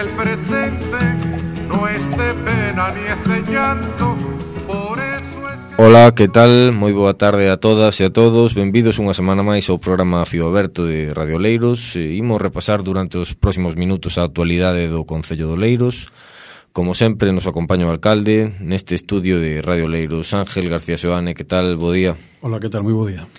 el presente no es de pena ni es de llanto, por eso es que... Ola, que tal? Moi boa tarde a todas e a todos. Benvidos unha semana máis ao programa Fío Aberto de Radio Oleiros. Imos repasar durante os próximos minutos a actualidade do Concello de Oleiros. Como sempre, nos acompaña o alcalde neste estudio de Radio Oleiros, Ángel García Seoane. Que tal? Bo día. Hola, que tal? Moi bo día.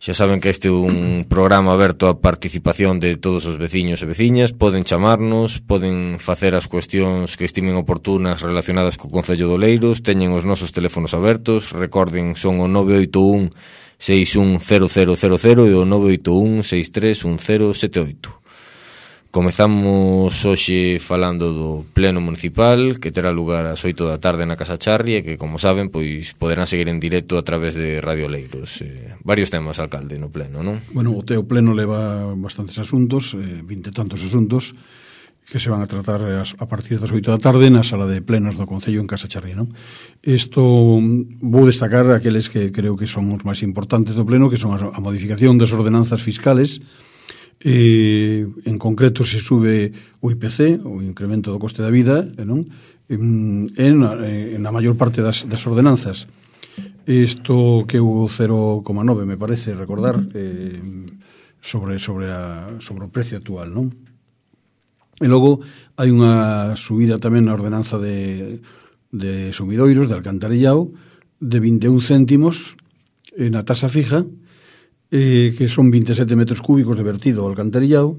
Xa saben que este é un programa aberto á participación de todos os veciños e veciñas. Poden chamarnos, poden facer as cuestións que estimen oportunas relacionadas co Concello de Oleiros. Teñen os nosos teléfonos abertos. Recorden, son o 981 610000 e o 981 631078. Comezamos hoxe falando do pleno municipal que terá lugar ás 8 da tarde na Casa Charri e que, como saben, pois poderán seguir en directo a través de Radio Oleiros. Varios temas, alcalde, no pleno, non? Bueno, o teu pleno leva bastantes asuntos, 20 e tantos asuntos que se van a tratar a partir das 8 da tarde na sala de plenos do Concello en Casa Charri, non? Isto vou destacar aqueles que creo que son os máis importantes do pleno, que son a modificación das ordenanzas fiscales. En concreto se sube o IPC, o incremento do coste da vida, non? Na maior parte das ordenanzas. Isto que o 0,9 me parece recordar sobre o precio actual, non? E logo hai unha subida tamén na ordenanza de sumidoiros, de alcantarillado, de 21 céntimos na tasa fija, que son 27 metros cúbicos de vertido ao alcantarillado,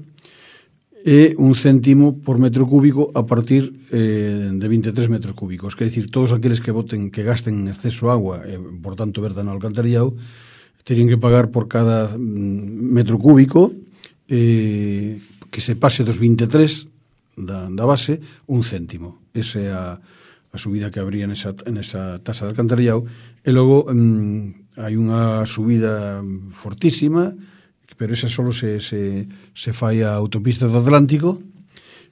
e 1 céntimo por metro cúbico a partir de 23 metros cúbicos. Quer dicir, todos aqueles que gasten en exceso agua e, por tanto, vertan ao alcantarillado, terían que pagar por cada metro cúbico que se pase dos 23 da base 1 céntimo. Esa é a subida que habría nesa tasa de alcantarillado. E logo hai unha subida fortísima, pero esa só se fai a autopista do Atlántico,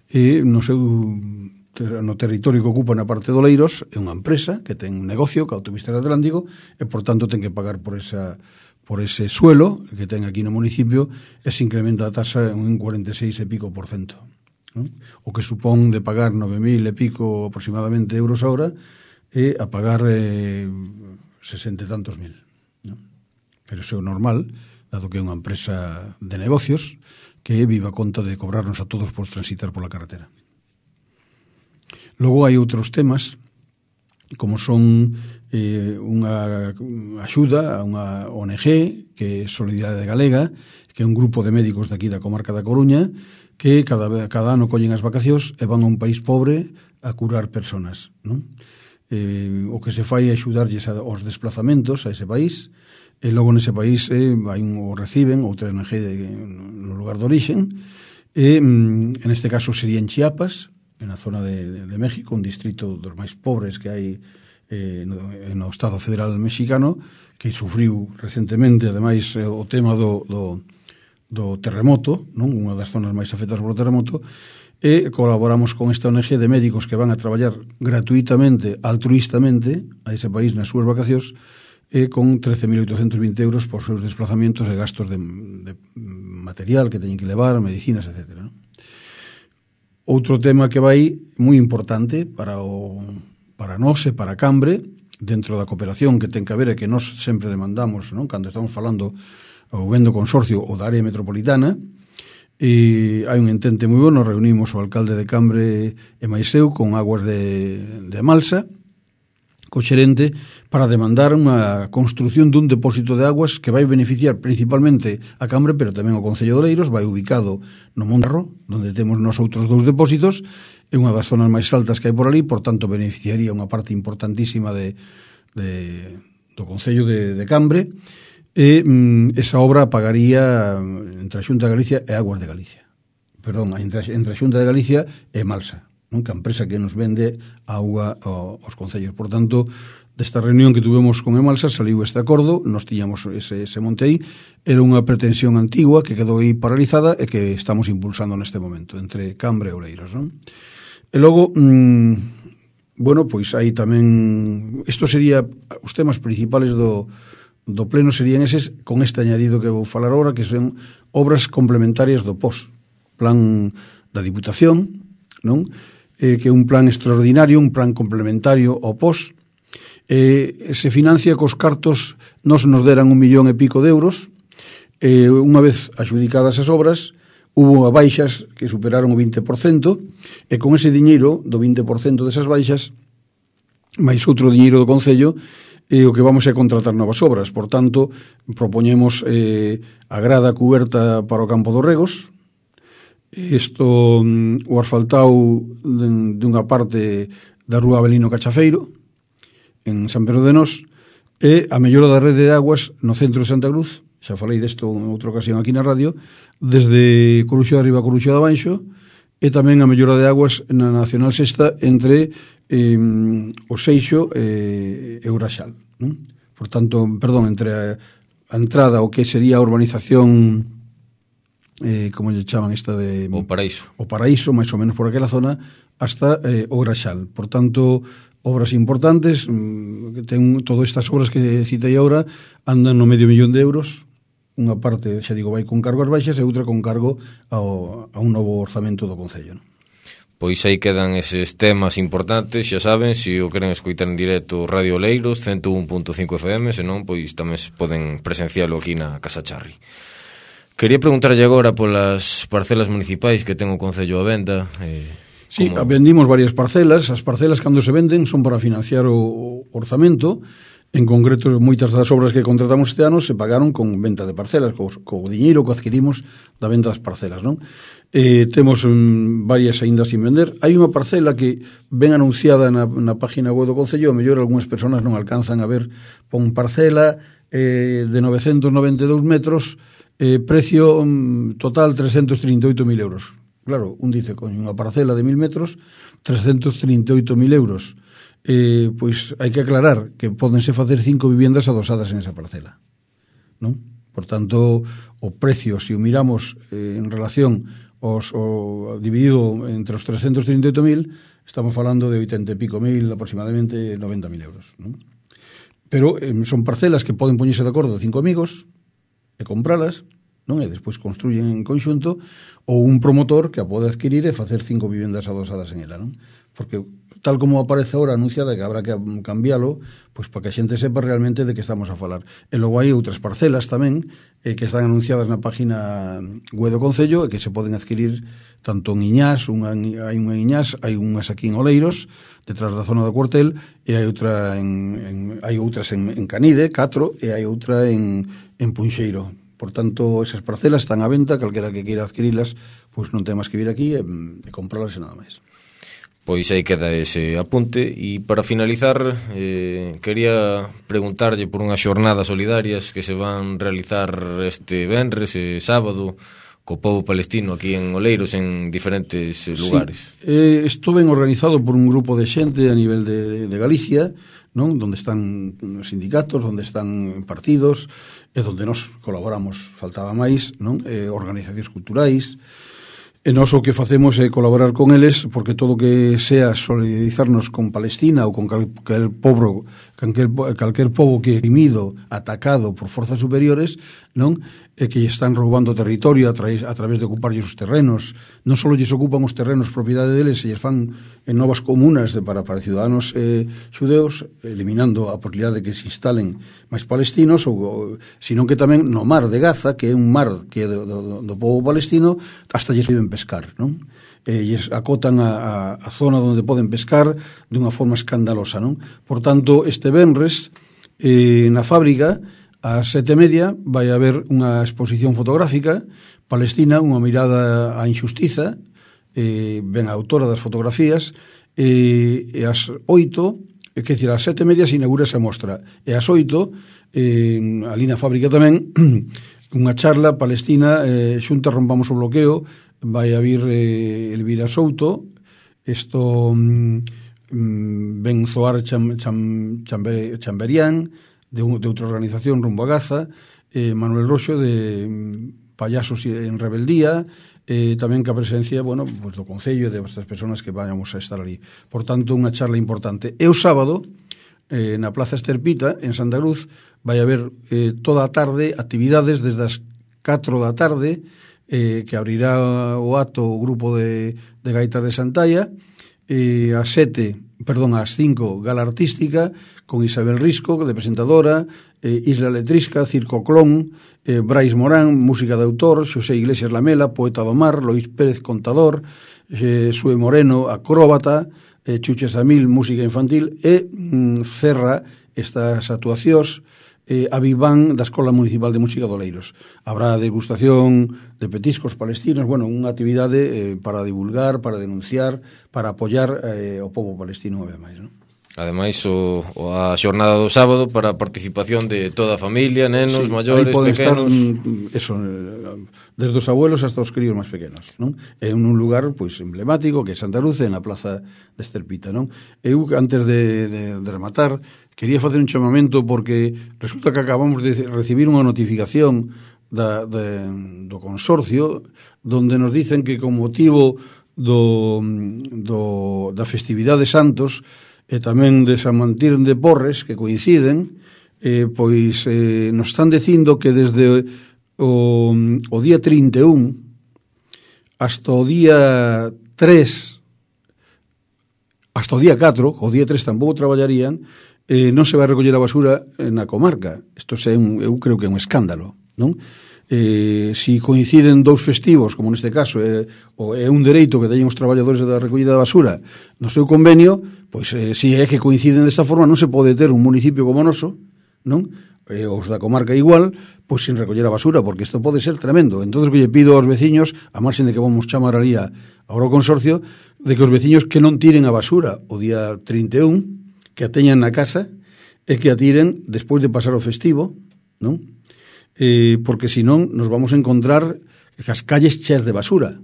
e no territorio que ocupa na parte de Oleiros é unha empresa que ten un negocio que a autopista do Atlántico, e por tanto ten que pagar por ese suelo que ten aquí no municipio, e se incrementa a tasa en un 46 e pico por cento, non? O que supón de pagar 9.000 e pico aproximadamente euros a hora, e a pagar 60 e tantos mil, non? Pero iso é normal, dado que é unha empresa de negocios que vive a conta de cobrarnos a todos por transitar pola carretera. Logo hai outros temas, como son unha axuda a unha ONG que é Solidariedade Galega, que é un grupo de médicos de aquí da comarca da Coruña, que cada ano collen as vacacións e van a un país pobre a curar personas, non? O que se fai é axudarlles aos desplazamentos a ese país, e logo nese país o reciben outra ONG no lugar de orixen, e en este caso sería en Chiapas, na zona de México, un distrito dos máis pobres que hai no Estado Federal Mexicano, que sufriu recentemente, ademais, o tema do terremoto, non? Unha das zonas máis afectadas polo terremoto, e colaboramos con esta ONG de médicos que van a traballar gratuitamente, altruistamente, a ese país nas súas vacacións, e con 13.820 euros por seus desplazamentos e gastos de material que teñen que levar, medicinas, etc. Outro tema que vai moi importante para nós e para Cambre, dentro da cooperación que ten que haber e que nós sempre demandamos, non? Cando estamos falando ou vendo consorcio ou da área metropolitana, e hai un entente moi bon. Nos reunimos o alcalde de Cambre e máis eu con Aguas de Malsa, co xerente, para demandar unha construción dun depósito de aguas que vai beneficiar principalmente a Cambre, pero tamén o Concello de Oleiros. Vai ubicado no Mondarro, onde temos nos outros dous depósitos, é unha das zonas máis altas que hai por ali, por tanto beneficiaría unha parte importantísima do Concello de Cambre, e esa obra pagaría entre a Xunta de Galicia e Aguas de Galicia. Perdón, entre a Xunta de Galicia e Malsa, non? Que a empresa que nos vende auga aos concellos. Por tanto, desta reunión que tuvemos con Emalsa saliu este acordo. Nos tiñamos ese monte aí, era unha pretensión antigua que quedou aí paralizada e que estamos impulsando neste momento entre Cambre e Oleiros, non? E logo, bueno, pois aí tamén, isto sería os temas principales do pleno, serían eses, con este añadido que vou falar agora, que son obras complementarias do POS, plan da Diputación, non? Que é un plan extraordinario, un plan complementario ao POS, se financia cos cartos, nos deran 1 millón e pico de euros, unha vez adjudicadas as obras, hubo baixas que superaron o 20%, e con ese diñeiro do 20% desas baixas, máis outro diñeiro do Concello, o que vamos é contratar novas obras. Por tanto, propoñemos a grada cuberta para o campo dos Regos, o asfaltado dunha parte da rúa Avelino Cachafeiro, en San Pedro de Nós, e a mellora da rede de aguas no centro de Santa Cruz, xa falei desto en outra ocasión aquí na radio, desde Coruxo de Arriba a Coruxo de Abaixo, e tamén a mellora de aguas na Nacional Sexta entre o Seixo e Uraxal. Por tanto, entre a entrada o que sería a urbanización, como lle chaman esta de... O Paraíso, máis ou menos por aquela zona, hasta o Uraxal. Por tanto, obras importantes, ten todas estas obras que citei agora, andan no medio millón de euros. Unha parte, xa digo, vai con cargo ás baixas e outra con cargo a un novo orzamento do Concello, non? Pois aí quedan eses temas importantes, xa saben, se o queren escoitar en directo Radio Oleiros, 101.5 FM, senón, pois tamén poden presencialo aquí na Casa Charri. Quería preguntarlle agora polas parcelas municipais que ten o Concello a venda. Sí, vendimos varias parcelas. As parcelas, cando se venden, son para financiar o orzamento. En concreto, moitas das obras que contratamos este ano se pagaron con venta de parcelas, co diñeiro que adquirimos da venta das parcelas, non? Temos varias aínda sin vender. Hai unha parcela que ven anunciada na página web do Concello, o mellor algunhas persoas non alcanzan a ver, pon parcela de 992 metros, precio total 338.000 euros. Claro, un dice, con unha parcela de 1.000 metros, 338.000 euros. Pois hai que aclarar que pódense facer 5 viviendas adosadas en esa parcela, non? Por tanto, o precio, se o miramos en relación dividido entre os 338.000, estamos falando de 80 e pico mil, aproximadamente 90.000 euros, non? Pero son parcelas que poden poñerse de acordo 5 amigos e compralas, non? E despois construyen en conxunto, ou un promotor que a pode adquirir e facer 5 viviendas adosadas en ela, non? Porque tal como aparece ahora anunciada que habrá que cambiálo, pois para que a xente sepa realmente de que estamos a falar. E logo hai outras parcelas tamén que están anunciadas na página web do Concello e que se poden adquirir tanto en Iñás, hai unha en Iñás, hai unhas aquí en Oleiros, detrás da zona do cuartel, e hai outras en Canide, 4, e hai outra en Punxeiro. Por tanto, esas parcelas están á venta, calquera que queira adquirilas, pois non ten máis que vir aquí e comprarlas e nada máis. Pois aí queda ese apunte. E para finalizar, quería preguntarlle por unhas xornadas solidarias que se van realizar este venres e sábado co pobo palestino aquí en Oleiros, en diferentes lugares. Sí, isto ben organizado por un grupo de xente a nivel de Galicia, non? Donde están sindicatos, donde están partidos, e donde nos colaboramos, faltaba máis, non? Organizacións culturais. E nós o que facemos é colaborar con eles, porque todo o que sea solidarizarnos con Palestina ou con calquer pobo que é oprimido, atacado por forzas superiores, non? E que están roubando territorio a través de ocuparlles os terrenos. Non só lles ocupan os terrenos propiedade deles, e lles fan en novas comunas para ciudadanos xudeus, eliminando a posibilidade de que se instalen máis palestinos, senón que tamén no mar de Gaza, que é un mar que é do povo palestino, hasta lles viven pescar, non? Lles acotan a zona onde poden pescar dunha forma escandalosa, non? Por tanto, este venres na fábrica ás 7:30 vai haber unha exposición fotográfica palestina, unha mirada á injustiza, ben a autora das fotografías, e ás 8, quer dizer, ás 7:30 se inaugura esa mostra, e ás 8 ali na fábrica tamén unha charla palestina, xunta rompamos o bloqueo, vai a vir Elvira Souto, isto ben Zoar Chamberián, de outra organización rumbo a Gaza, Manuel Roxo de Payasos en Rebeldía, tamén que a presencia, bueno, pues do Concello e de estas persoas que vayamos a estar ali. Por tanto, unha charla importante. E o sábado, na Plaza Esterpita, en Santa Cruz, vai haber toda a tarde actividades desde as 4 da tarde, que abrirá o acto o grupo de gaitas de Santalla, ás 5, gala artística, con Isabel Risco, de presentadora, Isla Letrisca, Circo Clon, Brais Morán, música de autor, Xosé Iglesias Lamela, poeta do mar, Lois Pérez, contador, Sue Moreno, acróbata, Chuche Samil, música infantil, e cerra estas actuacións a Viván da Escola Municipal de Música de Oleiros. Habrá degustación de petiscos palestinos, bueno, unha actividade para divulgar, para denunciar, para apoiar o povo palestino, ademais, non? Ademais, a xornada do sábado para a participación de toda a familia, nenos, maiores, pequenos. Estar, desde os abuelos hasta os críos máis pequenos, non? É un lugar pois emblemático que é Santa Luz, na plaza de Estelpita, non? Eu, antes de rematar, quería facer un chamamento porque resulta que acabamos de recibir unha notificación do consorcio donde nos dicen que con motivo da festividade de Santos e tamén de San Martín de Porres, que coinciden, pois nos están dicindo que desde o día 31 hasta o día 3, hasta o día 4, o día 3 tampouco traballarían, non se vai recoller a basura na comarca. Isto eu creo que é un escándalo, non? Si coinciden dous festivos, como neste caso é un dereito que teñen os traballadores da recollida da basura no seu convenio, pois si é que coinciden desta forma, non se pode ter un municipio como o noso, non? Os da comarca igual, pois sin recoller a basura, porque isto pode ser tremendo. Entón, que lle pido aos veciños, a marxen de que vamos chamar ali agora o consorcio, de que os veciños que non tiren a basura o día 31, que a teñan na casa e que a tiren despois de pasar o festivo, non? Porque senón nos vamos a encontrar as calles cheas de basura.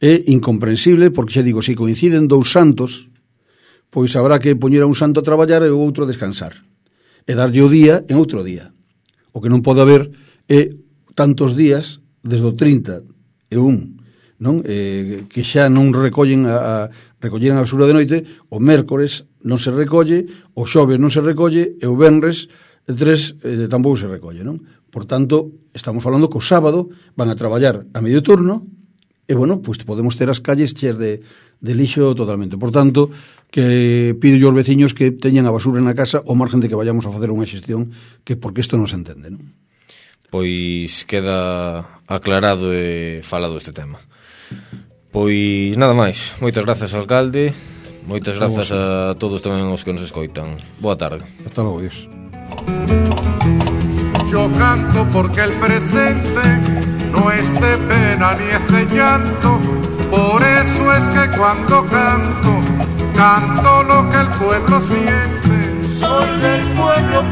É incomprensible, porque xa digo, se coinciden dous santos, pois habrá que poñer a un santo a traballar e o outro a descansar, e darlle o día en outro día. O que non pode haber é tantos días desde o 31, non? Que xa non recollen recolleran a basura de noite, o mércores non se recolle, o xoves non se recolle, e o venres 3 tampouco se recolle, non? Por tanto, estamos falando que o sábado van a traballar a medio turno, e, bueno, pois podemos ter as calles cheas de lixo totalmente. Por tanto, que pido yo aos veciños que teñan a basura na casa ao margen de que vayamos a facer unha xestión, que porque isto non se entende, non? Pois queda aclarado e falado este tema. Pois nada máis. Moitas grazas, alcalde. Moitas grazas a todos tamén os que nos escoitan. Boa tarde. Hasta logo, Dios. Yo canto porque el presente no es de pena ni es de llanto. Por eso es que cuando canto, canto lo que el pueblo siente. Soy del pueblo,